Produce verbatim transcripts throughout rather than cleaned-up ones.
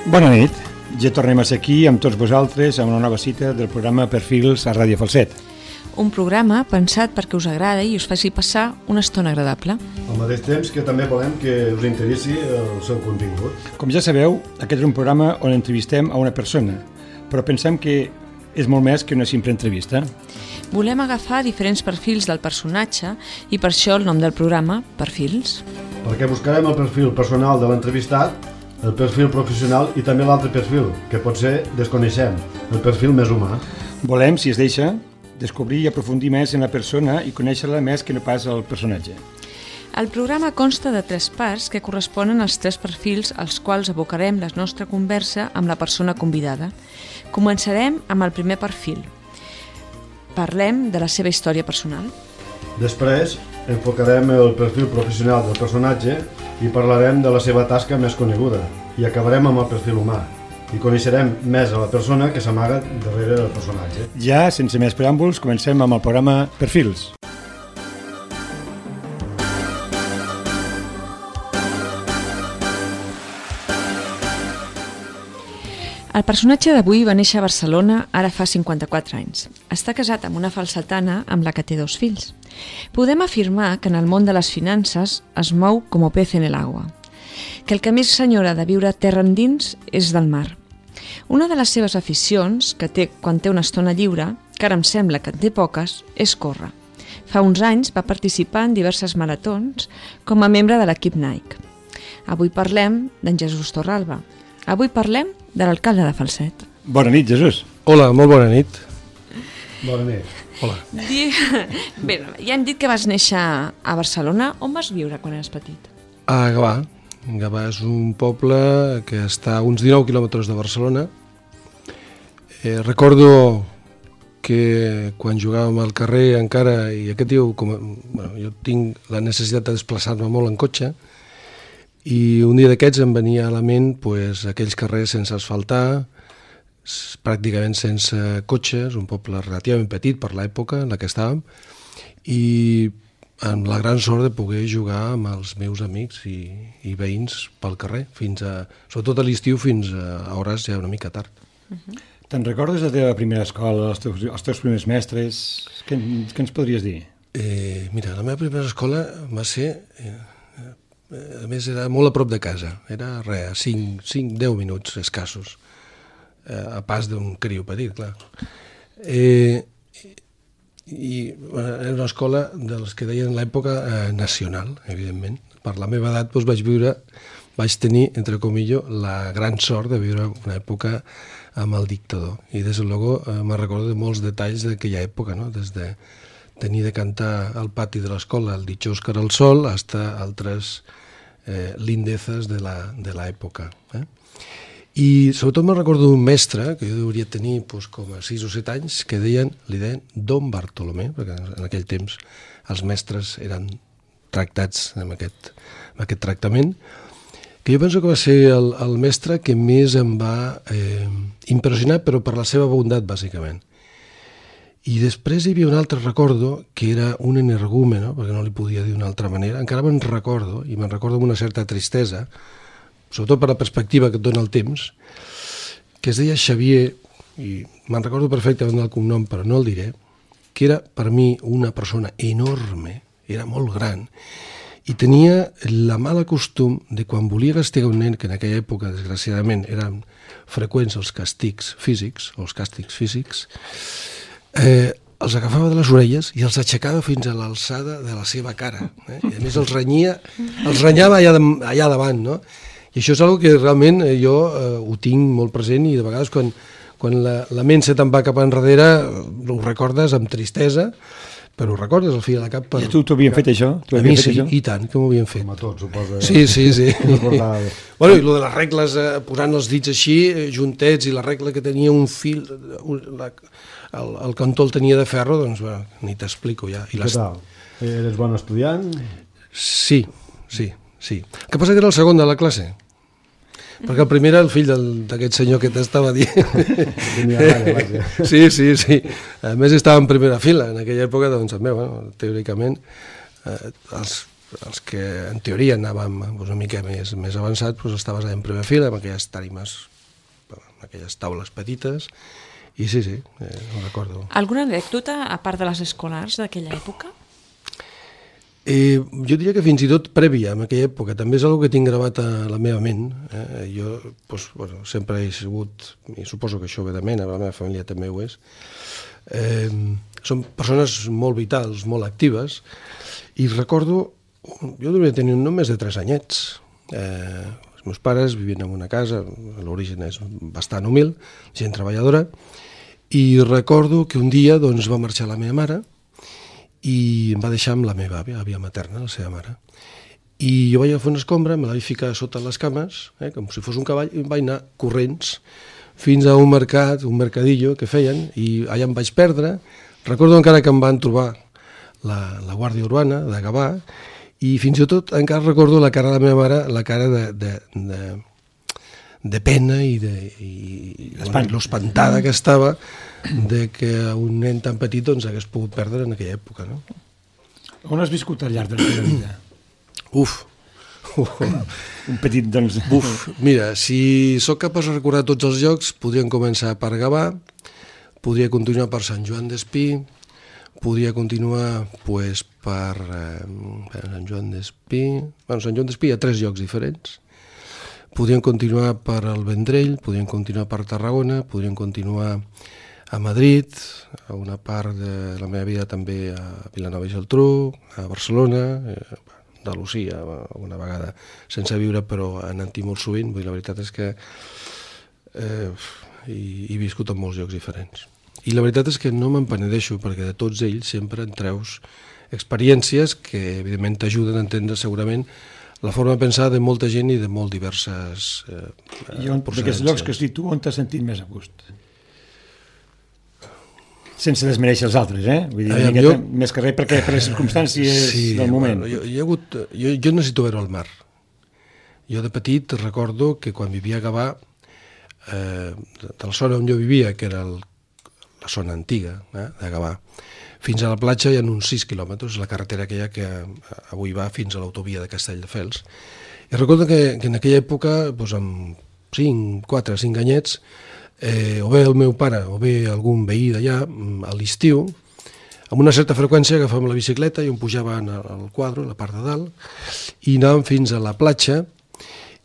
Bona nit, ja tornem a ser aquí amb tots vosaltres a una nova cita del programa Perfils a Ràdio Falset. Un programa pensat perquè us agradi i us faci passar una estona agradable. Al mateix temps que també volem que us interessi el seu contingut. Com ja sabeu, aquest és un programa on entrevistem a una persona, però pensem que és molt més que una simple entrevista. Volem agafar diferents perfils del personatge i per això el nom del programa, Perfils. Perquè buscarem el perfil personal de l'entrevistat, el perfil professional i també l'altre perfil, que potser desconeixem, el perfil més humà. Volem, si es deixa, descobrir i aprofundir més en la persona i conèixer-la més que no pas el personatge. El programa consta de tres parts que corresponen als tres perfils als quals abocarem la nostra conversa amb la persona convidada. Començarem amb el primer perfil. Parlem de la seva història personal. Després enfocarem el perfil professional del personatge i parlarem de la seva tasca més coneguda i acabarem amb el perfil humà i coneixerem més a la persona que s'amaga darrere del personatge. Ja, sense més preàmbuls, comencem amb el programa Perfils. El personatge d'avui va néixer a Barcelona ara fa cinquanta-quatre anys. Està casat amb una falsetana amb la que té dos fills. Podem afirmar que en el món de les finances es mou com pez en el agua, que el que més s'enyora de viure terra endins és del mar. Una de les seves aficions, que té quan té una estona lliure, que ara em sembla que en té poques, és córrer. Fa uns anys va participar en diverses maratons com a membre de l'equip Nike. Avui parlem d'en Jesús Torralba. Avui parlem de l'alcalde de Falset. Bona nit, Jesús. Hola, molt bona nit. Bona nit. Hola. Bé, ja hem dit que vas néixer a Barcelona. On vas viure quan eres petit? A Gavà. Gavà és un poble que està a uns dinou quilòmetres de Barcelona. Eh, recordo que quan jugàvem al carrer encara, i aquest diu, com, bueno, jo tinc la necessitat de desplaçar-me molt en cotxe, i un dia d'aquests em venia a la ment pues, aquells carrers sense asfaltar, pràcticament sense cotxes, un poble relativament petit per l'època en la que estàvem, i amb la gran sort de poder jugar amb els meus amics i, i veïns pel carrer, fins a, sobretot a l'estiu fins a hores ja una mica tard. Uh-huh. Te'n recordes de la teva primera escola, els teus, els teus primers mestres? Què, què ens podries dir? Eh, mira, la meva primera escola va ser... Eh, a més era molt a prop de casa, era res, cinc a deu minuts escassos, a pas d'un criu petit, clar. Eh, I era una escola de les que deien en l'època eh, nacional, evidentment. Per la meva edat doncs, vaig viure, vaig tenir, entre comillo, la gran sort de viure una època amb el dictador. I des de luego eh, me'n recordo de molts detalls d'aquella època, no? Des de tenir de cantar al pati de l'escola el Dichós que era el sol, hasta altres eh, lindezes de l'època. Eh? I sobretot me'n recordo d'un mestre, que jo hauria tenir pues, com a sis o set anys, que deien, li deien Don Bartolomé, perquè en aquell temps els mestres eren tractats amb aquest, amb aquest tractament, que jo penso que va ser el, el mestre que més em va eh, impressionar, però per la seva bondat, bàsicament. I després hi havia un altre recordo, que era un energúmeno, perquè no li podia dir d'una altra manera, encara me'n recordo, i me'n recordo amb una certa tristesa, sobretot per la perspectiva que et dona el temps, que es deia Xavier, i me'n recordo perfectament del cognom, però no el diré, que era per mi una persona enorme, era molt gran, i tenia la mala costum de quan volia castigar un nen, que en aquella època, desgraciadament, eren freqüents els castigs físics, o els càstigs físics, eh, els agafava de les orelles i els aixecava fins a l'alçada de la seva cara. Eh? I a més els renyia, els renyava allà, de, allà davant, no? I això és una que realment jo eh, ho tinc molt present i de vegades quan, quan la, la ment se te'n va cap enrere ho recordes amb tristesa, però ho recordes al fi de la cap. Per... I tu t'ho havien fet això? A mi sí, això? I tant, que m'ho havien fet. Com a tots, suposa. Sí, sí, sí. Bueno, i lo de les regles, eh, posant els dits així, juntets, i la regla que tenia un fil, un, la, el, el cantó el tenia de ferro, doncs bueno, ni t'explico ja. I què tal? Eres bon estudiant? Sí, sí, sí. El que passa que era el segon de la classe. Perquè el primer era el fill d'aquest senyor que t'estava dient. Sí, sí, sí. A més estava en primera fila. En aquella època, doncs, també, bueno, teòricament, eh, els, els que en teoria anàvem una mica més, més avançats, doncs estaves en primera fila, amb aquelles tarimes aquelles taules petites, i sí, sí, eh, ho recordo. Alguna anècdota, a part de les escolars d'aquella època? Eh, jo diria que fins i tot prèvia, en aquella època, també és una que tinc gravat a la meva ment. Eh? Jo doncs, bueno, sempre he sigut, i suposo que això ve de mena, la meva família també ho és, eh, són persones molt vitals, molt actives, i recordo, jo devia tenir només de tres anyets. Eh, els meus pares vivien en una casa, l'origen és bastant humil, gent treballadora, i recordo que un dia doncs, va marxar la meva mare, i em va deixar amb la meva àvia, àvia materna, la seva mare. I jo vaig agafar una escombra, me la vaig ficar sota les cames, eh, com si fos un cavall, i em vaig anar corrents fins a un mercat, un mercadillo que feien, i allà em vaig perdre. Recordo encara que em van trobar la, la Guàrdia Urbana de Gavà, i fins i tot encara recordo la cara de la meva mare, la cara de, de, de, de pena i, de, i bueno, l'espantada que estava de que un nen tan petit doncs, hagués pogut perdre en aquella època. No? On has viscut al llarg de la teva vida? Uf! Uf. Un petit, doncs... Uf, mira, si sóc capaç de recordar tots els llocs, podríem començar per Gavà, podria continuar per Sant Joan d'Espí, podria continuar pues, per, eh, per Sant Joan d'Espí... Bueno, Sant Joan d'Espí hi ha tres llocs diferents. Podríem continuar per el Vendrell, podríem continuar per Tarragona, podríem continuar a Madrid, a una part de la meva vida també a Vilanova i Geltrú, a Barcelona, eh, Andalusia, una vegada sense viure, però anant-hi molt sovint. Vull dir, la veritat és que eh, he, he viscut en molts llocs diferents. I la veritat és que no me'n penedeixo, perquè de tots ells sempre en treus experiències que, evidentment, t'ajuden a entendre segurament la forma de pensar de molta gent i de molt diverses eh, I on, d'aquests llocs que has dit tu, on t'has sentit més a gust? Sense desmereixer els altres, eh? Vull dir, Ai, miqueta, jo... més que res perquè per les circumstàncies sí, del moment. Bueno, jo, jo, he hagut, jo, jo necessito veure el mar. Jo de petit recordo que quan vivia a Gavà, eh, de la zona on jo vivia, que era el, la zona antiga eh, de Gavà, fins a la platja hi ha uns sis quilòmetres, la carretera aquella que avui va fins a l'autovia de Castelldefels. I recordo que, que en aquella època, doncs, amb cinc, quatre, cinc anyets, Eh, o bé el meu pare o bé algun veí d'allà a l'estiu, amb una certa freqüència agafàvem la bicicleta i em pujaven al quadre, a la part de dalt, i anàvem fins a la platja,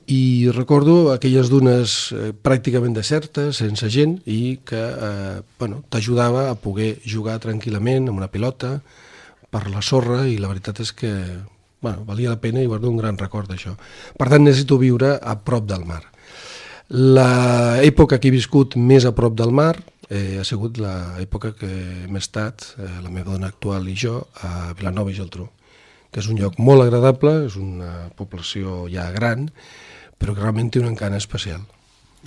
i recordo aquelles dunes eh, pràcticament desertes, sense gent, i que eh, bueno, t'ajudava a poder jugar tranquil·lament amb una pilota per la sorra, i la veritat és que bueno, valia la pena i guardo un gran record d'això. Per tant, necessito viure a prop del mar. L'època que he viscut més a prop del mar eh, ha sigut l'època que hem estat, eh, la meva dona actual i jo, a Vilanova i Geltrú, que és un lloc molt agradable, és una població ja gran, però que realment té un encant especial.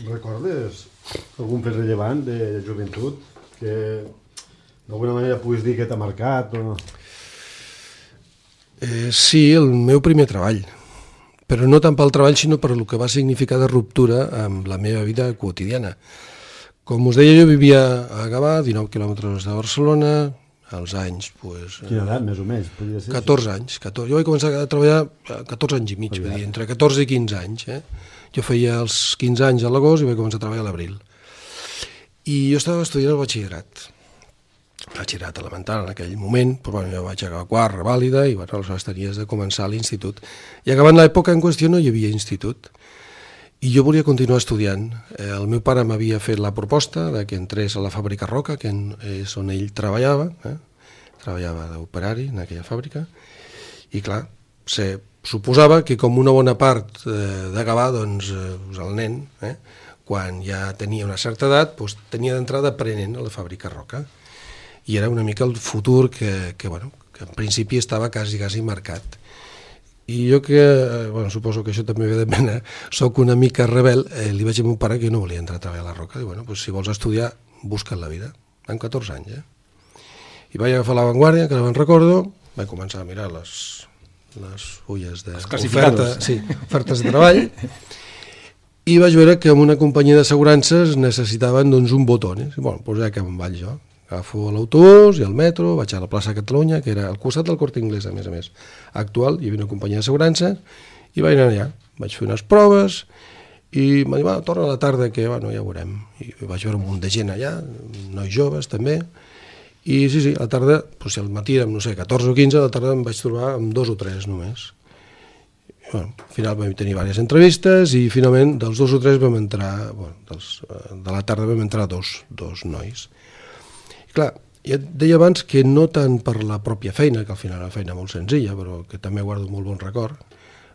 Recordes algun fet rellevant de joventut que d'alguna manera puguis dir que t'ha marcat? O... Eh, sí, el meu primer treball. Però no tant pel treball, sinó per el que va significar de ruptura amb la meva vida quotidiana. Com us deia, jo vivia a Gavà, dinou quilòmetres de Barcelona, als anys... Pues, Quina edat, més o menys? Podria ser catorze anys. catorze. Jo vaig començar a treballar a catorze anys i mig, dir, entre catorze i quinze anys. Eh? Jo feia els quinze anys a l'agost i vaig començar a treballar a l'abril. I jo estava estudiant el batxillerat. batxillerat elemental en aquell moment, però bueno, jo vaig acabar quart, revàlida, i bueno, aleshores tenies de començar a l'institut. I acabant l'època en qüestió no hi havia institut. I jo volia continuar estudiant. Eh, el meu pare m'havia fet la proposta de que entrés a la fàbrica Roca, que és on ell treballava, eh? treballava d'operari en aquella fàbrica, i clar, se suposava que com una bona part eh, d'acabar, doncs, eh, el nen, eh, quan ja tenia una certa edat, doncs, tenia d'entrar d'aprenent a la fàbrica Roca. I era una mica el futur que, que, bueno, que en principi estava quasi, quasi marcat. I jo que, bueno, suposo que això també ve de mena, soc una mica rebel, eh, li vaig dir a meu pare que no volia entrar a treballar a la Roca. I bueno, pues, si vols estudiar, busca't la vida. Amb catorze anys, eh? I vaig agafar La Vanguardia, que no me'n recordo, vaig començar a mirar les, les fulles d'oferta, sí, ofertes de treball, i vaig veure que en una companyia d'assegurances necessitaven doncs, un botón. I bueno, doncs ja que me'n vaig jo. Agafo l'autobús i el metro, vaig a la plaça Catalunya, que era al costat del Corte Inglés, a més a més, actual, hi havia una companyia d'assegurances, i vaig anar allà. Vaig fer unes proves i m'ha dit, va, torna a la tarda que bueno, ja ho veurem. I vaig veure un munt de gent allà, nois joves també, i sí, sí, a la tarda, doncs, si al matí érem, no sé, catorze o quinze, a la tarda em vaig trobar amb dos o tres només. I, bueno, al final vam tenir diverses entrevistes i finalment dels dos o tres vam entrar, bueno, dels, de la tarda vam entrar dos, dos nois. I clar, ja et deia abans que no tant per la pròpia feina, que al final era una feina molt senzilla, però que també guardo molt bon record.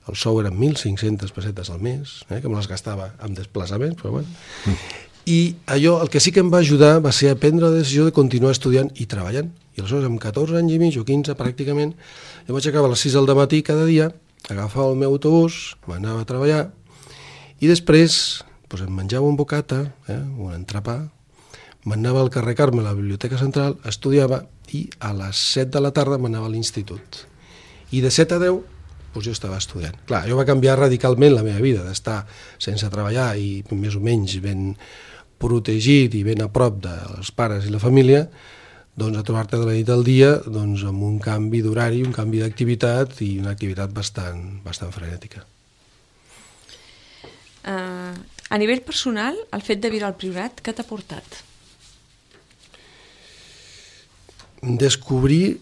El sou eren mil cinc-centes pessetes al mes, eh, que me les gastava amb desplaçaments, però bueno. Mm. I allò, el que sí que em va ajudar va ser a prendre la decisió de continuar estudiant i treballant. I aleshores, amb catorze anys i mig o quinze pràcticament, jo vaig acabar a les sis del matí cada dia, agafava el meu autobús, m'anava a treballar, i després doncs, em menjava un bocata, eh, un entrepà, m'anava al carrer Carme, a la Biblioteca Central, estudiava, i a les set de la tarda m'anava a l'institut. I de set a deu doncs jo estava estudiant. Clar, jo va canviar radicalment la meva vida, d'estar sense treballar i més o menys ben protegit i ben a prop dels pares i la família, doncs a trobar-te de la nit al dia doncs, amb un canvi d'horari, un canvi d'activitat i una activitat bastant, bastant frenètica. Uh, a nivell personal, el fet de viure al Priorat, què t'ha portat? Descobrir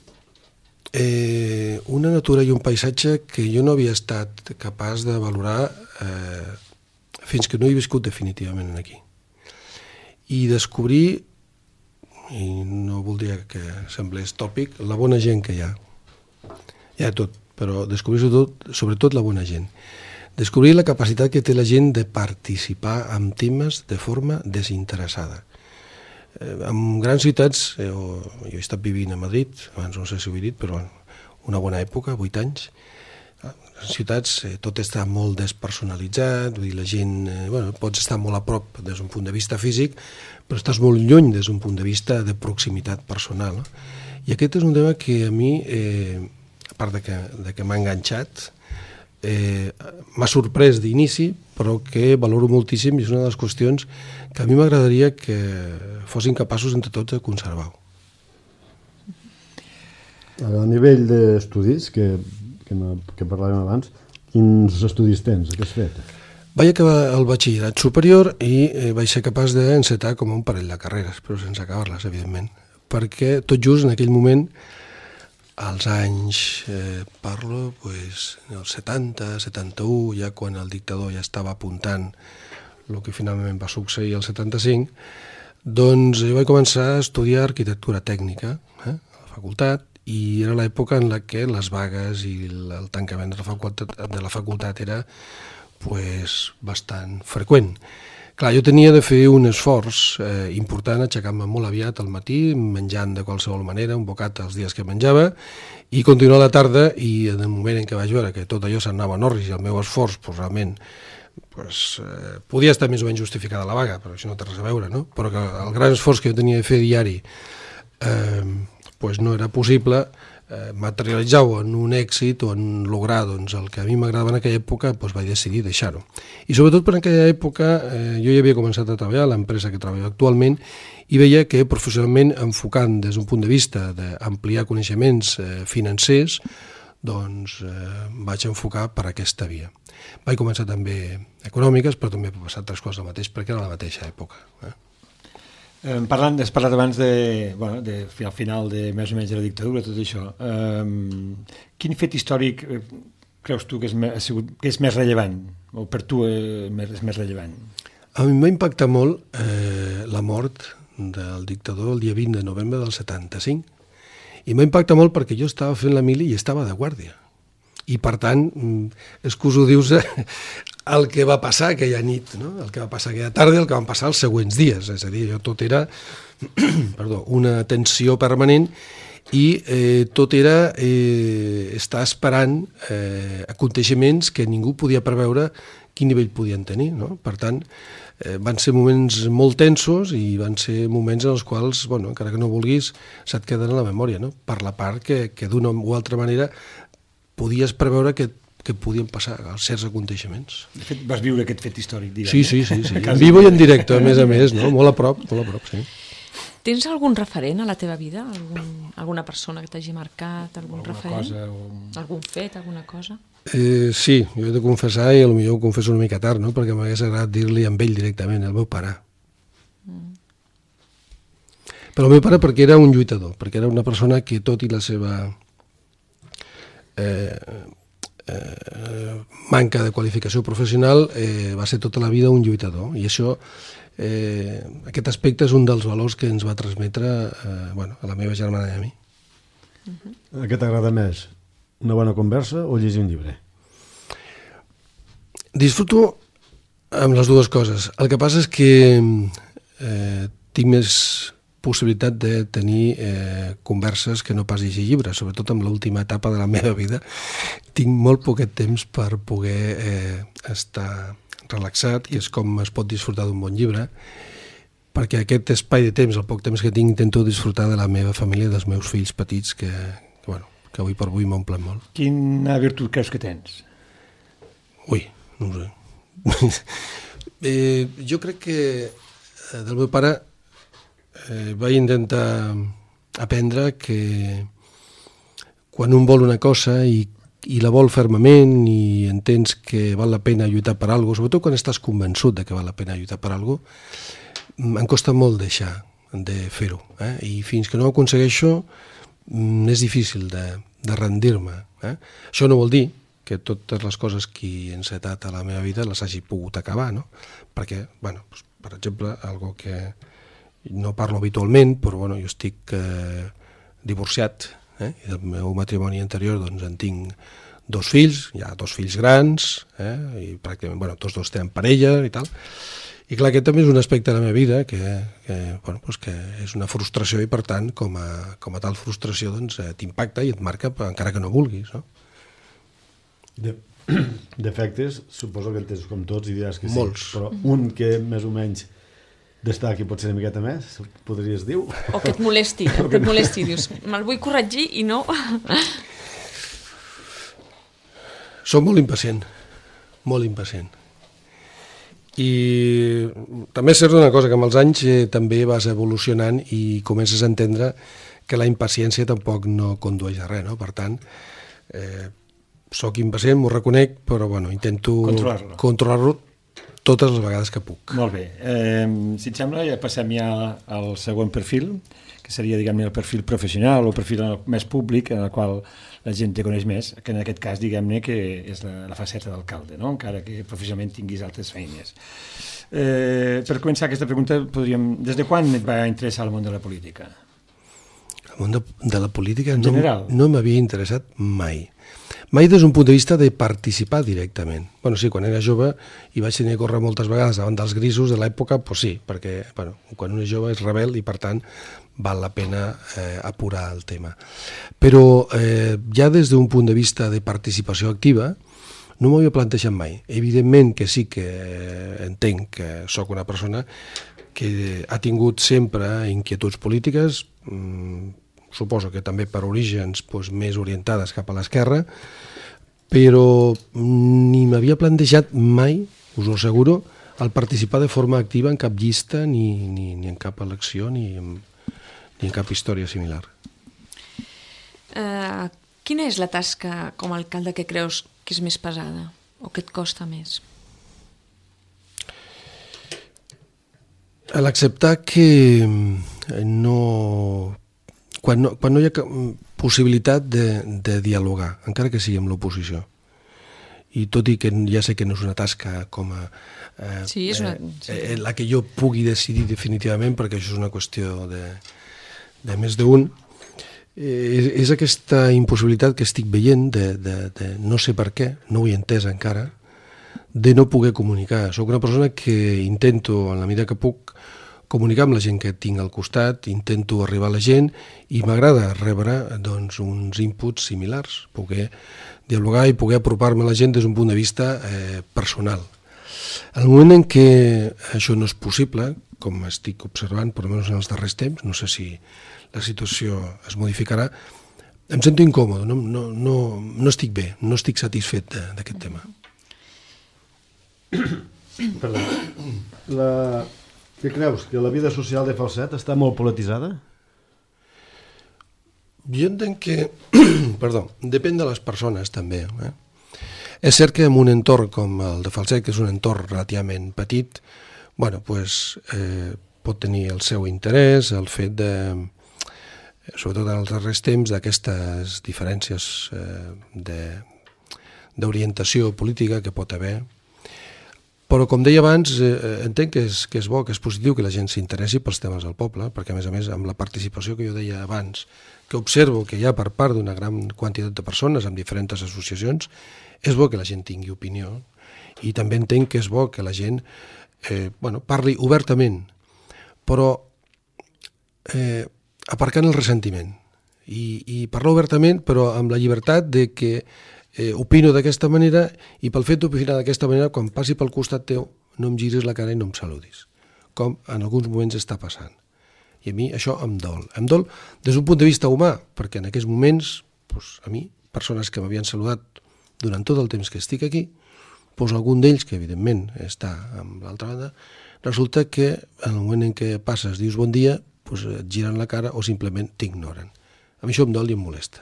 Eh, una natura i un paisatge que jo no havia estat capaç de valorar eh, fins que no he viscut definitivament aquí. I descobrir, i no voldria que semblés tòpic, la bona gent que hi ha. Hi ha tot, però descobrir sobretot, sobretot la bona gent. Descobrir la capacitat que té la gent de participar en temes de forma desinteressada. En grans ciutats, eh, jo he estat vivint a Madrid, abans no sé si ho he dit, però una bona època, vuit anys, en ciutats eh, tot està molt despersonalitzat, vull dir, la gent, eh, bueno, pots estar molt a prop des d'un punt de vista físic, però estàs molt lluny des d'un punt de vista de proximitat personal. No? I aquest és un tema que a mi, eh, a part de que, de que m'ha enganxat, eh, m'ha sorprès d'inici, però que valoro moltíssim i és una de les qüestions que a mi m'agradaria que fossin capaços entre tots de conservar-ho. A nivell d'estudis, que, que, que parlàvem abans, quins estudis tens? Què has fet? Vaig acabar el batxillerat superior i eh, vaig ser capaç d'encetar com un parell de carreres, però sense acabar-les, evidentment, perquè tot just en aquell moment, als anys, eh, parlo, pues, els setanta, setanta-u, ja quan el dictador ja estava apuntant el que finalment va succeir el setanta-cinc, doncs jo vaig començar a estudiar arquitectura tècnica eh, a la facultat, i era l'època en la que les vagues i el tancament de la facultat, de la facultat era pues, bastant freqüent. Clar, jo tenia de fer un esforç eh, important, aixecar-me molt aviat al matí, menjant de qualsevol manera, un bocat els dies que menjava, i continuar a la tarda, i en el moment en què vaig veure que tot allò s'anava en orris i el meu esforç, pues, realment, pues, eh, podia estar més o menys justificada la vaga, però això no té res a veure, no? Però que el gran esforç que jo tenia de fer diari eh, pues no era possible, eh, materialitzar-ho en un èxit o en lograr doncs, el que a mi m'agradava en aquella època, doncs vaig decidir deixar-ho. I sobretot per aquella època eh, jo ja havia començat a treballar a l'empresa que treballo actualment i veia que professionalment, enfocant des d'un punt de vista d'ampliar coneixements eh, financers, doncs eh, vaig enfocar per aquesta via. Vaig començar també econòmiques, però també va passar altres coses al mateix, perquè era la mateixa època. Eh? Eh, parlant, has parlat abans de, bueno, de, al final de més o menys de la dictadura, tot això. Eh, quin fet històric eh, creus tu que és, ha sigut, que és més rellevant, o per tu eh, és més rellevant? A mi em va impactar molt eh, la mort del dictador el dia vint de novembre del setanta-cinc, i m'ha impactat molt perquè jo estava fent la mili i estava de guàrdia. I per tant, és que us ho dius el que va passar aquella nit, no? El que va passar aquella tarda i el que van passar els següents dies. És a dir, tot era perdó, una tensió permanent i eh, tot era eh, estar esperant eh, aconteixements que ningú podia preveure quin nivell podien tenir. No? Per tant, eh, van ser moments molt tensos i van ser moments en els quals, bueno, encara que no vulguis, se't queden a la memòria, no? Per la part que, que d'una o altra manera podies preveure que, que podien passar certs aconteixements. De fet, vas viure aquest fet històric, diguem. Sí, sí, sí, sí. En vivo i en directe, a més a més, no? Molt a prop, molt a prop, sí. Tens algun referent a la teva vida? Algun, alguna persona que t'hagi marcat? Algun Alguna referent? cosa o... Algun fet, alguna cosa? Eh, sí, jo he de confessar, i potser ho confesso una mica tard, no? Perquè m'hagués agradat dir-li amb ell directament, el meu pare. Mm. Però el meu pare perquè era un lluitador, perquè era una persona que tot i la seva eh, eh, manca de qualificació professional eh, va ser tota la vida un lluitador, i això, eh, aquest aspecte és un dels valors que ens va transmetre eh, bueno, a la meva germana i a mi. Uh-huh. Què t'agrada més? Una bona conversa o llegir un llibre? Disfruto amb les dues coses. El que passa és que eh, tinc més possibilitat de tenir eh, converses que no pas llegir llibres, sobretot en l'última etapa de la meva vida. Tinc molt poquet temps per poder eh, estar relaxat, que és com es pot disfrutar d'un bon llibre, perquè aquest espai de temps, el poc temps que tinc, intento disfrutar de la meva família, dels meus fills petits, que, que, bueno, que avui per avui m'omplen molt. Quina virtut creus que tens? Ui, no ho sé. eh, jo crec que eh, del meu pare eh, vaig intentar aprendre que quan un vol una cosa i i la vol fermament i entens que val la pena lluitar per alguna cosa, sobretot quan estàs convençut de que val la pena lluitar per alguna cosa, em costa molt deixar de fer-ho. Eh? I fins que no ho aconsegueixo és difícil de, de rendir-me. Eh? Això no vol dir que totes les coses que he encetat a la meva vida les hagi pogut acabar, no? Perquè, bueno, doncs, per exemple, algo que no parlo habitualment, però bueno, jo estic eh, divorciat, eh? I del meu matrimoni anterior doncs, en tinc dos fills, hi ha dos fills grans, eh? I pràcticament, bueno, tots dos tenen parella i tal. I clar, aquest també és un aspecte de la meva vida que, que, bueno, doncs que és una frustració i per tant, com a, com a tal frustració, doncs, eh, t'impacta i et marca encara que no vulguis, no? De, defectes, suposo que en tens com tots i diràs que sí. Molts. Però un que més o menys destaca i pot ser una miqueta més, podries dir? O que et molesti, o que et molesti, dius, me'l vull corregir i no... Soc molt impacient, molt impacient. I també és cert una cosa, que amb els anys eh, també vas evolucionant i comences a entendre que la impaciència tampoc no condueix a res, no? Per tant, eh, soc impacient, m'ho reconec, però bueno, intento controlar-lo. controlar-lo totes les vegades que puc. Molt bé. Eh, si et sembla, ja passem ja al següent perfil, que seria, diguem-ne, el perfil professional o el perfil més públic, en el qual la gent te coneix més, que en aquest cas, diguem-ne, que és la, la faceta d'alcalde, no? Encara que professionalment tinguis altres feines. Eh, per començar aquesta pregunta, podríem... Des de quan et va interessar el món de la política? El món de, de la política en no, general? No m'havia interessat mai. Mai des d'un punt de vista de participar directament. Bueno, sí, quan era jove i vaig tenir que córrer moltes vegades davant dels grisos de l'època, doncs sí, perquè bueno, quan un és jove és rebel i per tant val la pena eh, apurar el tema. Però eh, ja des d'un punt de vista de participació activa no m'ho havia plantejat mai. Evidentment que sí que eh, entenc que sóc una persona que ha tingut sempre inquietuds polítiques, mmm, suposo que també per orígens doncs, més orientades cap a l'esquerra, però ni m'havia plantejat mai, us ho asseguro, el participar de forma activa en cap llista, ni, ni, ni en cap elecció, ni en, ni en cap història similar. Uh, quina és la tasca com a alcalde que creus que és més pesada o que et costa més? L'acceptar que no... Quan no, quan no hi ha possibilitat de, de dialogar, encara que sigui amb l'oposició. I tot i que ja sé que no és una tasca com a... Eh, sí, és una... Sí. Eh, la que jo pugui decidir definitivament, perquè això és una qüestió de, de més d'un, eh, és, és aquesta impossibilitat que estic veient de, de, de no sé per què, no ho he entès encara, de no poder comunicar. Soc una persona que intento, en la mesura que puc, comunicar amb la gent que tinc al costat, intento arribar a la gent i m'agrada rebre doncs, uns inputs similars, poder dialogar i poder apropar-me a la gent des d'un punt de vista eh, personal. En el moment en què això no és possible, com estic observant, per almenys en els darrers temps, no sé si la situació es modificarà, em sento incòmode, no, no, no, no estic bé, no estic satisfet d'aquest tema. Perdó. La... Què creus? Que la vida social de Falset està molt polititzada? Jo entenc que, perdó, depèn de les persones també. Eh? És cert que en un entorn com el de Falset, que és un entorn relativament petit, bueno, pues, eh, pot tenir el seu interès, el fet de, sobretot en els darrers temps, d'aquestes diferències eh, de, d'orientació política que pot haver. Però, com deia abans, eh, entenc que és, que és bo, que és positiu que la gent s'interessi pels temes del poble, perquè, a més a més, amb la participació que jo deia abans, que observo que hi ha per part d'una gran quantitat de persones amb diferents associacions, és bo que la gent tingui opinió, i també entenc que és bo que la gent eh, bueno, parli obertament, però eh, aparcant el ressentiment, i, i parlar obertament, però amb la llibertat de que Eh, opino d'aquesta manera, i pel fet d'opinar d'aquesta manera, quan passi pel costat teu, no em giris la cara i no em saludis, com en alguns moments està passant. I a mi això em dol. Em dol des d'un punt de vista humà, perquè en aquests moments, doncs, a mi, persones que m'havien saludat durant tot el temps que estic aquí, doncs algun d'ells, que evidentment està amb l'altra banda, resulta que en el moment en què passes, dius bon dia, doncs et giren la cara o simplement t'ignoren. A mi això em dol i em molesta.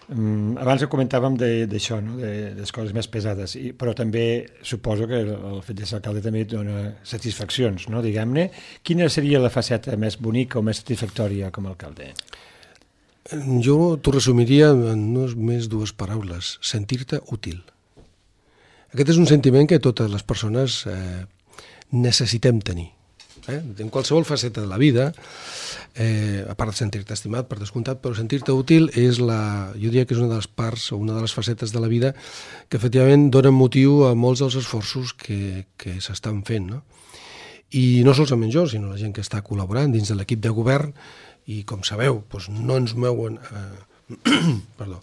Um, abans comentàvem d'això, no? de, de les coses més pesades, I, però també suposo que el, el fet de ser alcalde també et dona satisfaccions, no? Diguem-ne. Quina seria la faceta més bonica o més satisfactòria com a alcalde? Jo t'ho resumiria en només dues paraules: sentir-te útil. Aquest és un sentiment que totes les persones eh, necessitem tenir. Eh? En qualsevol faceta de la vida, eh, a part de sentir-te estimat, per descomptat, però sentir-te útil és la, jo diria que és una de les parts o una de les facetes de la vida que efectivament donen motiu a molts dels esforços que, que s'estan fent, no? I no solament jo, sinó la gent que està col·laborant dins de l'equip de govern, i com sabeu, doncs no ens mouen eh, perdó,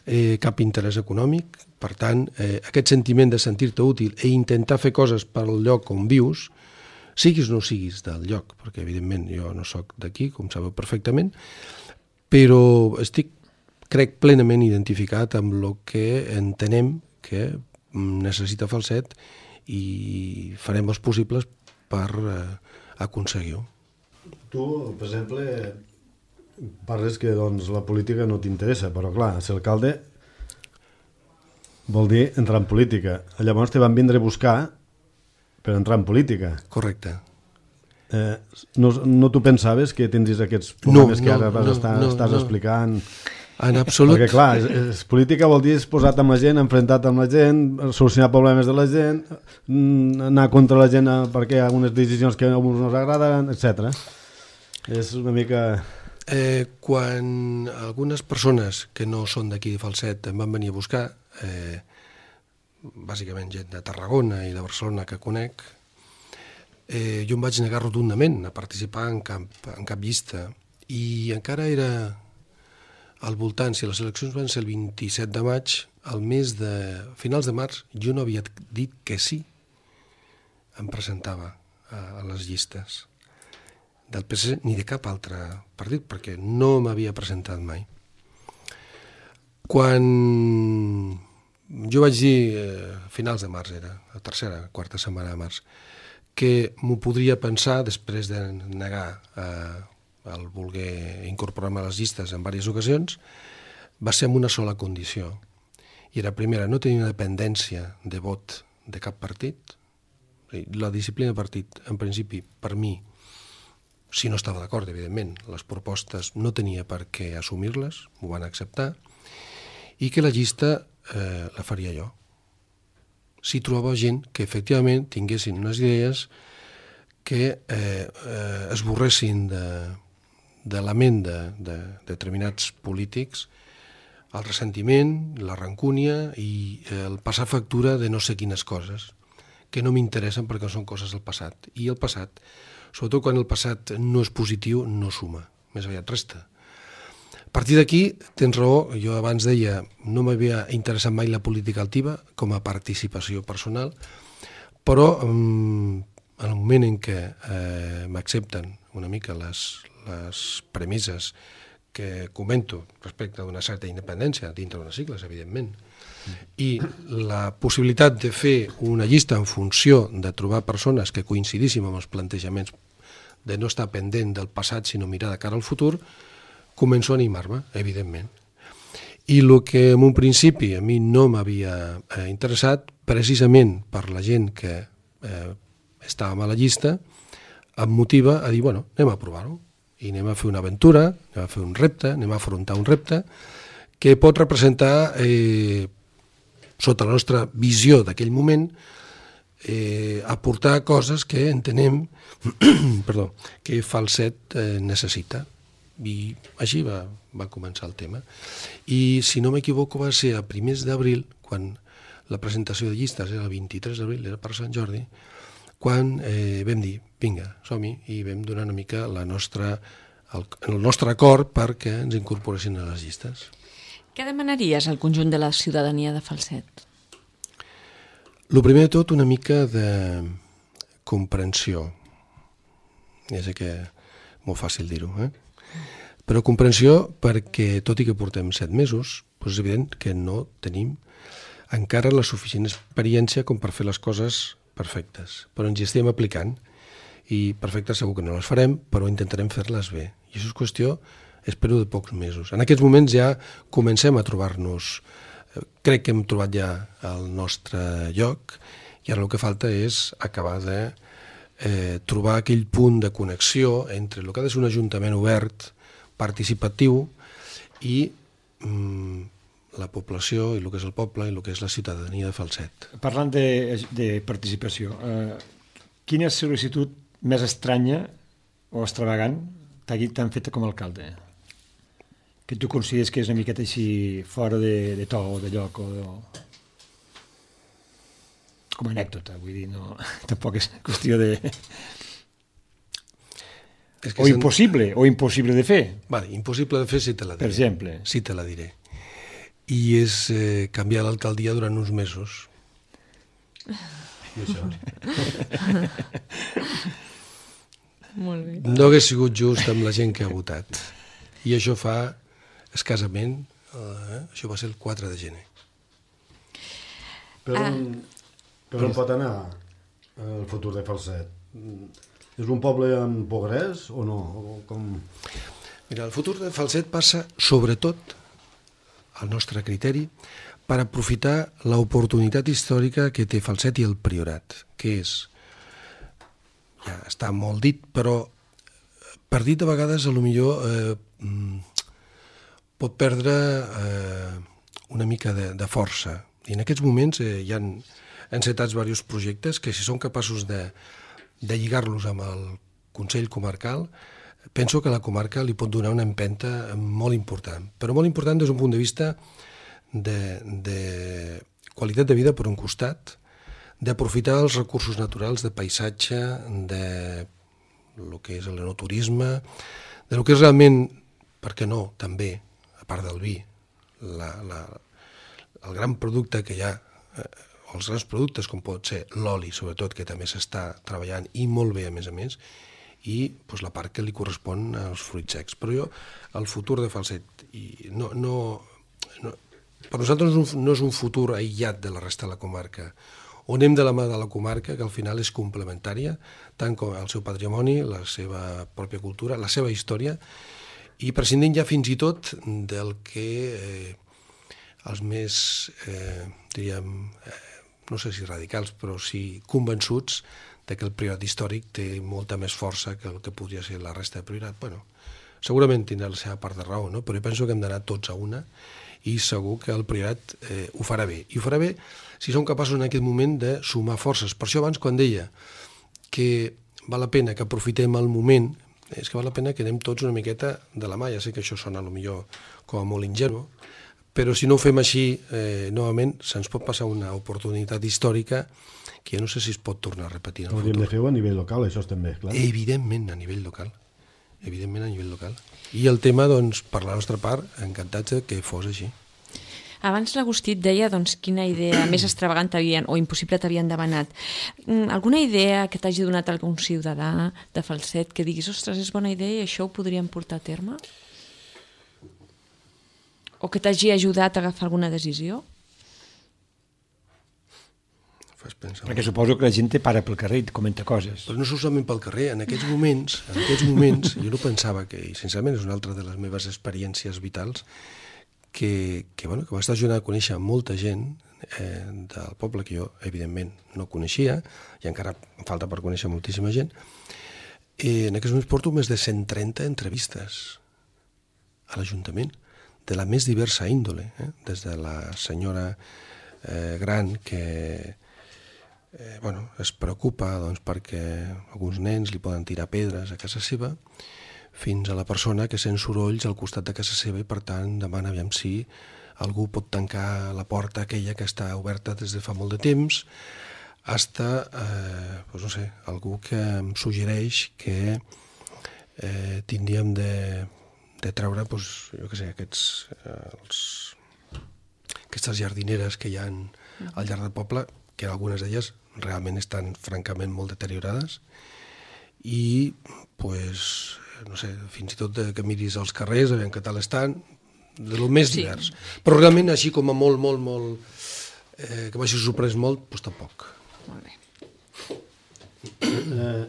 eh, cap interès econòmic. Per tant, eh, aquest sentiment de sentir-te útil i intentar fer coses pel lloc on vius, siguis o no siguis del lloc, perquè evidentment jo no sóc d'aquí, com sabeu perfectament, però estic, crec, plenament identificat amb el que entenem que necessita Falset i farem els possibles per eh, aconseguir-ho. Tu, per exemple, parles que doncs, la política no t'interessa, però clar, ser alcalde vol dir entrar en política. Llavors te van vindre a buscar per entrar en política. Correcte. Eh, no, no t'ho pensaves que tindries aquests problemes no, que ara no, no, estar, no, estàs no. explicant? En absolut. Perquè clar, és, és, política vol dir posat amb la gent, enfrontat amb la gent, solucionar problemes de la gent, anar contra la gent perquè hi ha algunes decisions que a uns no ens agraden, etcètera. És una mica... Eh, quan algunes persones que no són d'aquí de Falset em van venir a buscar, eh, bàsicament gent de Tarragona i de Barcelona que conec, eh, jo em vaig negar rotundament a participar en cap, en cap llista, i encara era al voltant, si les eleccions van ser el vint-i-set de maig, al mes de finals de març, jo no havia dit que sí em presentava a, a les llistes del P S C ni de cap altre partit, perquè no m'havia presentat mai. Quan jo vaig dir, a finals de març era, la tercera, quarta setmana de març, que m'ho podria pensar després de negar eh, el voler incorporar-me a les llistes en diverses ocasions, va ser amb una sola condició. I era, primera, no tenir una dependència de vot de cap partit. La disciplina de partit, en principi, per mi, si no estava d'acord, evidentment, les propostes no tenia per què assumir-les, m'ho van acceptar, i que la llista eh, la faria jo. Si trobava gent que efectivament tinguessin unes idees que eh, eh, esborressin de, de la ment de, de, de determinats polítics el ressentiment, la rancúnia i el passar factura de no sé quines coses que no m'interessen perquè són coses del passat. I el passat, sobretot quan el passat no és positiu, no suma, més aviat resta. A partir d'aquí, tens raó, jo abans deia, no m'havia interessat mai la política altiva com a participació personal, però en el moment en què eh, m'accepten una mica les, les premisses que comento respecte d'una certa independència dintre d'unes sigles, evidentment, i la possibilitat de fer una llista en funció de trobar persones que coincidíssim amb els plantejaments de no estar pendent del passat, sinó mirar de cara al futur, començo a animar-me, evidentment. I el que en un principi a mi no m'havia eh, interessat, precisament per la gent que eh, estàvem a la llista, em motiva a dir, bueno, anem a provar-ho, i anem a fer una aventura, anem a fer un repte, anem a afrontar un repte que pot representar, eh, sota la nostra visió d'aquell moment, eh, aportar coses que entenem perdó, que Falset eh, necessita. I així va, va començar el tema. I si no m'equivoco va ser a primers d'abril, quan la presentació de llistes era el vint-i-tres d'abril, era per Sant Jordi, quan eh, vam dir, vinga, som-hi, i vam donar una mica la nostra, el, el nostre acord perquè ens incorporessin a les llistes. Què demanaries al conjunt de la ciutadania de Falset? El primer de tot, una mica de comprensió. Ja sé que és molt fàcil dir-ho, eh? Però comprensió perquè, tot i que portem set mesos, doncs és evident que no tenim encara la suficient experiència com per fer les coses perfectes. Però ens hi estem aplicant i perfectes segur que no les farem, però intentarem fer-les bé. I això és qüestió, espero, de pocs mesos. En aquests moments ja comencem a trobar-nos, crec que hem trobat ja el nostre lloc i ara el que falta és acabar de eh, trobar aquell punt de connexió entre el que ha de ser un ajuntament obert, participatiu i mm, la població i el que és el poble i el que és la ciutadania de Falset. Parlant de, de participació, eh, quina sol·licitud més estranya o extravagant t'han fet com a alcalde? Que tu consideres que és una miqueta així fora de, de to o de lloc o de... com a anècdota, vull dir, no, tampoc és qüestió de... És que o sen... impossible, o impossible de fer. Vale, impossible de fer si te la diré. Per exemple. Si te la diré. I és eh, canviar l'alcaldia durant uns mesos. I això. Molt bé. No hagués sigut just amb la gent que ha votat. I això fa escassament, eh, això va ser el quatre de gener. Per on, per on pot anar el futur de Falset? És un poble amb progrés o no? O com... Mira, el futur de Falset passa, sobretot, al nostre criteri, per aprofitar l'oportunitat històrica que té Falset i el Priorat, que és, ja està molt dit, però per dit a vegades, a lo millor eh, pot perdre eh, una mica de, de força. I en aquests moments eh, hi ha encetats diversos projectes que, si són capaços de de lligar-los amb el Consell Comarcal, penso que la comarca li pot donar una empenta molt important, però molt important des d'un punt de vista de, de qualitat de vida per un costat, d'aprofitar els recursos naturals de paisatge, de el que és l'enoturisme, de lo que és realment, per què no, també, a part del vi, la, la, el gran producte que hi ha, eh, els grans productes com pot ser l'oli, sobretot, que també s'està treballant i molt bé, a més a més, i doncs, la part que li correspon als fruits secs. Però jo, el futur de Falset, i no, no, no, per nosaltres no és, un, no és un futur aïllat de la resta de la comarca, on anem de la mà de la comarca, que al final és complementària, tant com el seu patrimoni, la seva pròpia cultura, la seva història, i prescindint ja fins i tot del que eh, els més, eh, diríem, eh, no sé si radicals, però sí convençuts de que el priorat històric té molta més força que el que podria ser la resta de priorat. Bueno, segurament tindrà la seva part de raó, no? Però jo penso que hem d'anar tots a una i segur que el priorat eh, ho farà bé. I ho farà bé si som capaços en aquest moment de sumar forces. Per això abans, quan deia que val la pena que aprofitem el moment, és que val la pena que anem tots una miqueta de la mà. Ja sé que això sona potser com a molt ingenu, però si no ho fem així, eh, novament, se'ns pot passar una oportunitat històrica que jo no sé si es pot tornar a repetir en el futur. Hauríem de fer-ho a nivell local, això també, clar. Evidentment, a nivell local. Evidentment, a nivell local. I el tema, doncs, per la nostra part, encantats que fos així. Abans l'Agustí et deia doncs, quina idea més extravagant t'havien o impossible t'havien demanat. Alguna idea que t'hagi donat algun ciutadà de Falset que diguis, ostres, és bona idea i això ho podríem portar a terme? O que t'hagi ajudat a agafar alguna decisió? fas pensar. Perquè suposo que la gent te para pel carrer i et comenta coses. Però no solament pel carrer, en aquests moments, en aquests moments, jo no pensava que, i sincerament és una altra de les meves experiències vitals, que, que, bueno, que m'està ajudant a conèixer molta gent eh, del poble que jo, evidentment, no coneixia, i encara em falta per conèixer moltíssima gent. I en aquests moments porto més de cent trenta entrevistes a l'Ajuntament, de la més diversa índole, eh? Des de la senyora eh, gran que eh, bueno, es preocupa doncs, perquè alguns nens li poden tirar pedres a casa seva, fins a la persona que sent sorolls al costat de casa seva i per tant demana aviam si algú pot tancar la porta aquella que està oberta des de fa molt de temps, hasta, eh, doncs no sé, algú que em suggereix que eh, tindríem de, de treure, doncs, jo què sé, aquests, eh, els, aquestes jardineres que hi ha al llarg del poble, que algunes d'elles realment estan francament molt deteriorades i, pues, no sé, fins i tot que miris als carrers, a veure què tal estan, de lo més Sí. divers. Però realment així com a molt, molt, molt, eh, que m'hagi sorprès molt, doncs tampoc. Molt bé. Eh,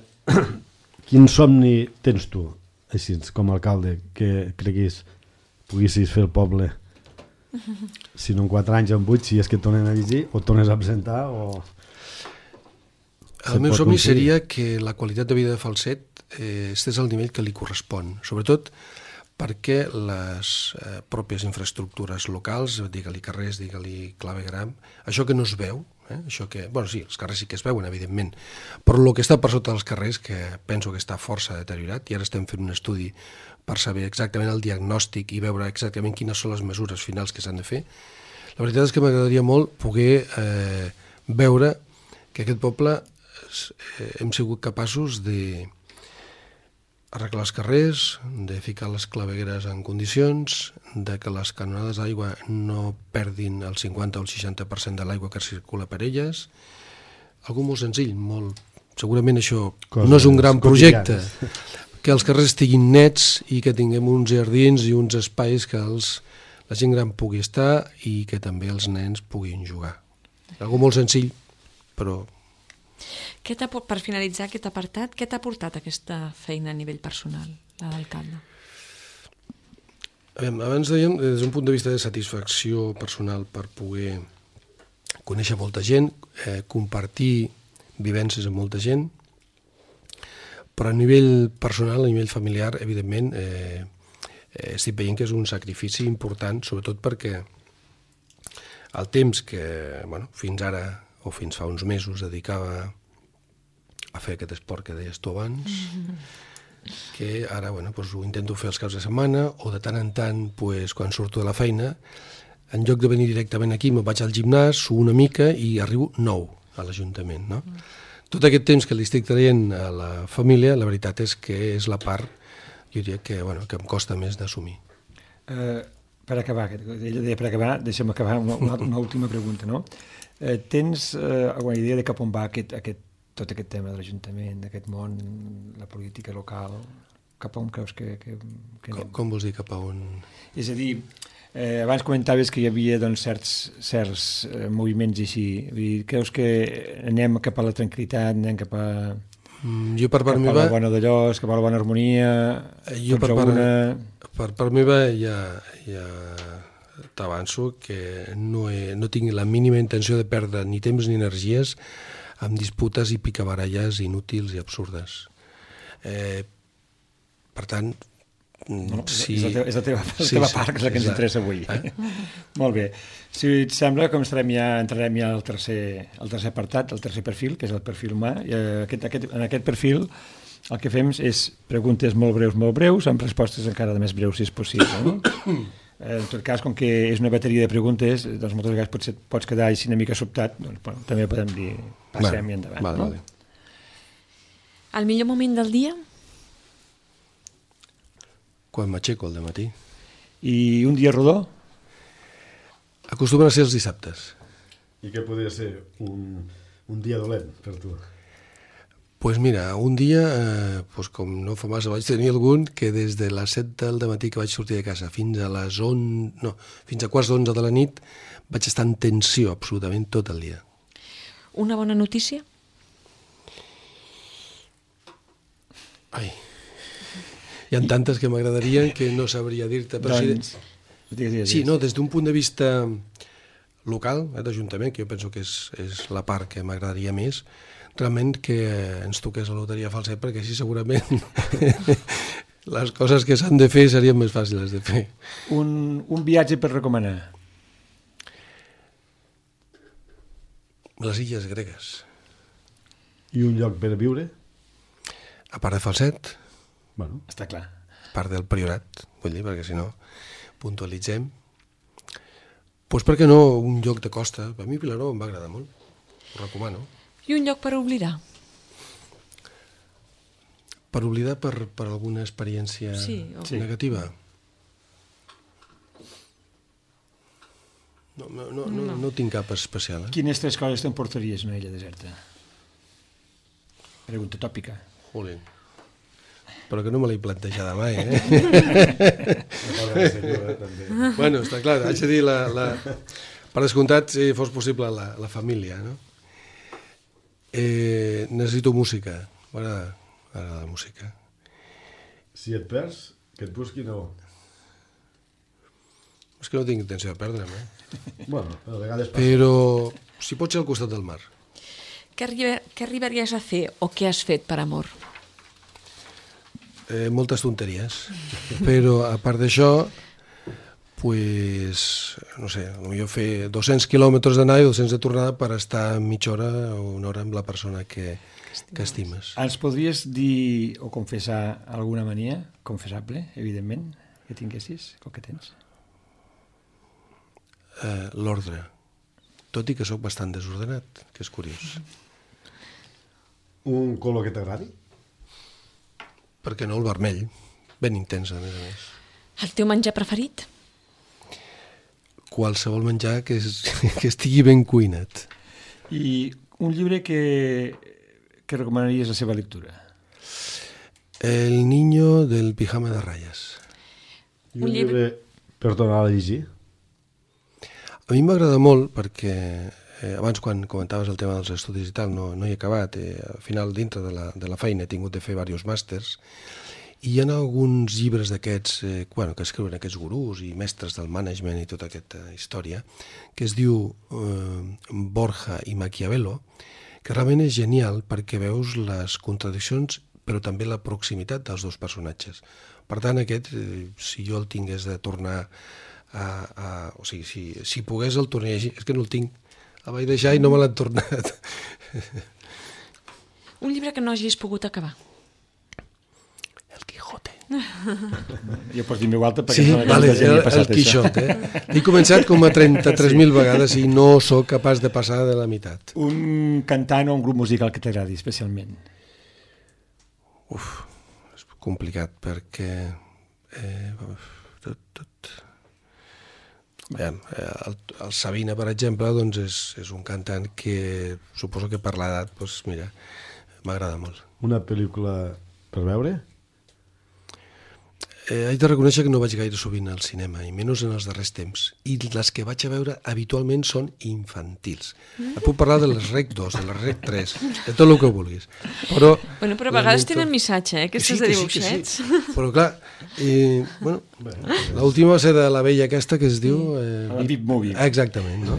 quin somni tens tu, així com a alcalde, que creguis poguessis fer el poble, si no en quatre anys, en vuit, si és que et tornen a llegir, o et tornes a presentar, o... El meu somni seria que la qualitat de vida de Falset eh, estés al nivell que li correspon, sobretot perquè les eh, pròpies infraestructures locals, digue-li carrers, digue-li clavegram, això que no es veu, eh, això que, bueno, sí, els carrers sí que es veuen, evidentment, però el que està per sota dels carrers, que penso que està força deteriorat, i ara estem fent un estudi per saber exactament el diagnòstic i veure exactament quines són les mesures finals que s'han de fer, la veritat és que m'agradaria molt poder eh, veure que aquest poble eh, hem sigut capaços de arreglar els carrers, de ficar les clavegueres en condicions, de que les canonades d'aigua no perdin el cinquanta o el seixanta per cent de l'aigua que circula per elles. Algo molt senzill, molt... segurament això Coses no és un gran projecte, quotidianes. que els carrers estiguin nets i que tinguem uns jardins i uns espais que els, la gent gran pugui estar i que també els nens puguin jugar. Algo molt senzill, però... Què t'ha, per finalitzar aquest apartat, què t'ha portat aquesta feina a nivell personal, la d'alcalde? Abans dèiem, des d'un punt de vista de satisfacció personal per poder conèixer molta gent, eh, compartir vivències amb molta gent, però a nivell personal, a nivell familiar, evidentment, eh, eh, estic veient que és un sacrifici important, sobretot perquè el temps que, bueno, fins ara o fins fa uns mesos dedicava a fer aquest esport que deies tu abans, que ara bueno, doncs ho intento fer els caps de setmana o de tant en tant, doncs, quan surto de la feina, en lloc de venir directament aquí, me'n vaig al gimnàs, suo una mica i arribo nou a l'Ajuntament. No? Mm. Tot aquest temps que li estic traient a la família, la veritat és que és la part, jo diria que, bueno, que em costa més d'assumir. Uh, per acabar, ella deia per acabar, deixa'm acabar una, una, una última pregunta, no? Uh, tens uh, alguna idea de cap on va aquest, aquest, tot aquest tema de l'Ajuntament, d'aquest món, la política local? Cap on creus que, que, que com, com vols dir cap a on? És a dir, eh, abans comentaves que hi havia doncs, certs, certs eh, moviments així. Vull dir, creus que anem cap a la tranquil·litat, anem cap a... Mm, jo per part cap meva... a la bona d'allòs, cap a la bona harmonia... Jo per part, una... per part meva ja, ja t'avanço que no, he, no tinc la mínima intenció de perdre ni temps ni energies amb disputes i picabaralles inútils i absurdes. Eh, per tant, no, si... és, la teva, és la teva, la sí, teva sí, part, que és la que ens interessa avui. Eh? Molt bé. Si et sembla, com estarem ja, entrarem ja al tercer, al tercer apartat, el tercer perfil, que és el perfil humà. I aquest, aquest, en aquest perfil el que fem és preguntes molt breus, molt breus, amb respostes encara de més breus, si és possible. No? En tot cas, com que és una bateria de preguntes, doncs moltes vegades pots, pots quedar així una mica sobtat, doncs, bueno, també podem dir passem vale, i endavant. Vale, no? vale. El millor moment del dia? Quan m'aixeco al dematí. I un dia rodó? Acostumen a ser els dissabtes. I què podria ser un, un dia dolent per tu? Pues mira, un dia, eh, pues com no fa massa, vaig tenir algun que des de les set del matí que vaig sortir de casa fins a les onze, no, fins a quarts d'onze de la nit vaig estar en tensió absolutament tot el dia. Una bona notícia? Ai, hi ha tantes que m'agradarien que no sabria dir-te. Però Doncs, sí, digues, digues, sí, digues. no, des d'un punt de vista local, eh, d'Ajuntament, que jo penso que és, és la part que m'agradaria més, realment que ens toqués la loteria falset, perquè així segurament les coses que s'han de fer serien més fàcils de fer. Un, un viatge per recomanar. Les illes gregues. I un lloc per viure? A part de Falset, Bueno, Està clar. a part del Priorat, vull dir, perquè si no puntualitzem. Doncs per què no un lloc de costa? A mi Vilaró em va agradar molt, ho recomano. I un lloc per oblidar? Per oblidar per, per alguna experiència Sí, o- Sí. negativa? No, no, no, no, no tinc cap especial. Eh? Quines tres coses t'emportaries a una illa deserta? Pregunta tòpica. Jolín. Però que no me l'he plantejada mai, eh? Bueno, està clar, haig de dir, la, la... per descomptat, si fos possible, la, la família, no? Eh, necessito música, m'agrada m'agrada la música. si et perds, que et busqui no. És que no tinc intenció de perdre'm, eh? Bueno, a vegades passa. Però si pot ser al costat del mar. Què, arriba, què arribaries a fer o què has fet per amor? Eh, moltes tonteries, però a part d'això, pues, no sé, potser fer dos-cents quilòmetres d'anar i dos-cents de tornada per estar mitja hora o una hora amb la persona que, que estimes. Ens podries dir o confessar alguna mania confessable, evidentment, que tinguessis, o que tens? Eh, L'ordre, tot i que sóc bastant desordenat, que és curiós. Un color que t'agradi? Per què no el vermell? Ben intens, a més a més. El teu menjar preferit? Qualsevol menjar que, és, que estigui ben cuinat. I un llibre que, que recomanaries la seva lectura? El niño del pijama de ratlles. I Un un llibre- llibre per tornar a llegir? A mi m'agrada molt perquè eh, abans quan comentaves el tema dels estudis i tal no, no hi he acabat. Eh, al final, dintre de la, de la feina he tingut de fer diversos màsters i hi ha alguns llibres d'aquests eh, bueno, que escriuen aquests gurús i mestres del management i tota aquesta història que es diu eh, Borja i Maquiavelo, que realment és genial perquè veus les contradiccions però també la proximitat dels dos personatges. Per tant, aquest, eh, si jo el tingués de tornar a... a o sigui, si, si pogués el tornar a llegir, és que no el tinc, el vaig deixar i no me l'han tornat. Un llibre que no hagis pogut acabar? El Quijote. Jo pots dir meu alta perquè Sí, em sembla que vale, molta gent el, hi ha passat el Quixot, eh? He començat com a trenta-tres mil vegades i no sóc capaç de passar de la meitat. això. Un cantant o un grup musical que t'agradi especialment? Uf, és complicat perquè... Eh, tot, tot... Aviam, eh, el, el Sabina, per exemple, doncs és, és un cantant que suposo que per l'edat, doncs, mira, m'agrada molt. Una pel·lícula per veure? Eh, haig de reconèixer que no vaig gaire sovint al cinema, i menys en els darrers temps. I les que vaig a veure habitualment són infantils. Et puc parlar de les Rec dos, de les Rec tres, de tot el que vulguis. Però, Bueno, però a vegades lamento- tenen missatge, eh? Aquestes Que sí, de que sí, que dibuixets. sí. Però clar, eh, bueno, l'última va ser de la vella aquesta que es diu... Eh, La Beep Movie. Exactament, no?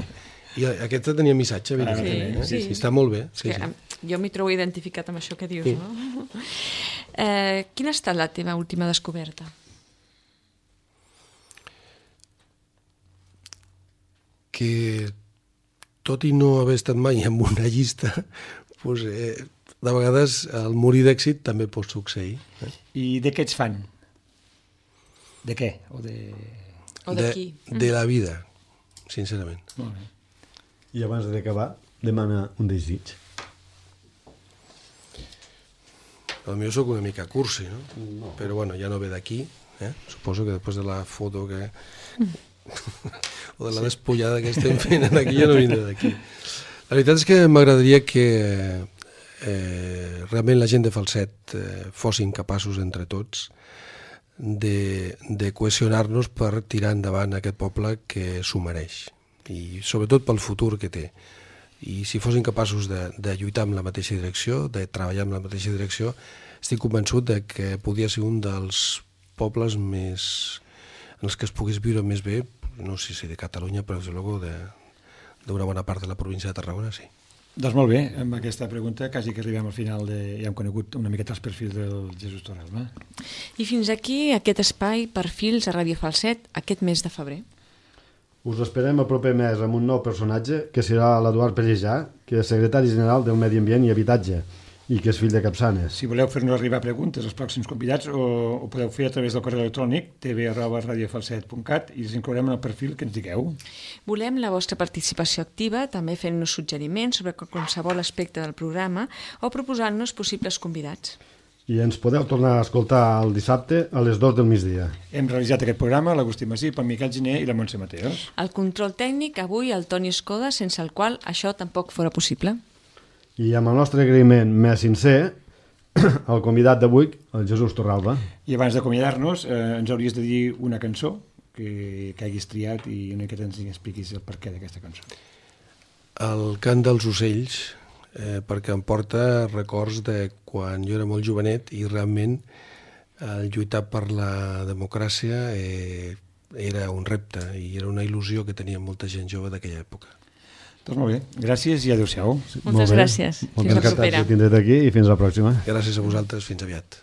I aquesta tenia missatge, evidentment. Sí, eh? sí. Està molt bé. És Sí, que, sí. em, jo m'hi trobo identificat amb això que dius, Sí. no? Eh, quina ha estat la teva última descoberta? Que tot i no haver estat mai en una llista, doncs, eh, de vegades el morir d'èxit també pot succeir. Eh? I de què ets fan? De què? O de... O de de, qui? de la vida, sincerament. Molt bé. I abans d'acabar, demana un desig. Potser sóc una mica cursi, no? no. Però bueno, ja no ve d'aquí. Eh? Suposo que després de la foto que... o de la despullada que estem fent aquí ja no vindrà d'aquí. La veritat és que m'agradaria que eh, realment la gent de Falset eh, fossin capaços entre tots de, de cohesionar-nos per tirar endavant aquest poble que s'ho mereix i sobretot pel futur que té. I si fossin capaços de, de lluitar en la mateixa direcció, de treballar en la mateixa direcció, estic convençut de que podia ser un dels pobles més en els que es pogués viure més bé, no sé si de Catalunya, però des de luego d'una bona part de la província de Tarragona, sí. Doncs molt bé, amb aquesta pregunta quasi que arribem al final de... ja hem conegut una miqueta els perfils del Jesús Torralba. I fins aquí aquest espai Perfils a Ràdio Falset aquest mes de febrer. Us esperem el proper mes amb un nou personatge que serà l'Eduard Pellejà, que és secretari general del Medi Ambient i Habitatge i que és fill de Capçanes. Si voleu fer-nos arribar preguntes als pròxims convidats o ho podeu fer a través del correu electrònic t v arroba radiofalset punt cat i us inclourem en el perfil que ens digueu. Volem la vostra participació activa, també fent-nos suggeriments sobre qualsevol aspecte del programa o proposant-nos possibles convidats. I ens podeu tornar a escoltar el dissabte a les dues del migdia. Hem realitzat aquest programa l'Agustí Masip, el Miquel Giner i la Montse Mateos. El control tècnic avui el Toni Escoda, sense el qual això tampoc fora possible. I amb el nostre agraïment més sincer, el convidat d'avui, el Jesús Torralba. I abans d'acomiadar-nos, eh, ens hauries de dir una cançó que, que haguis triat i una miqueta ens expliquis el perquè d'aquesta cançó. El cant dels ocells, eh, perquè em porta records de quan jo era molt jovenet i realment el lluitar per la democràcia eh, era un repte i era una il·lusió que tenia molta gent jove d'aquella època. Doncs molt bé, gràcies i adéu-siau. Moltes gràcies. Fins la propera. Moltes gràcies, tindré aquí i fins la pròxima. Gràcies a vosaltres, fins aviat.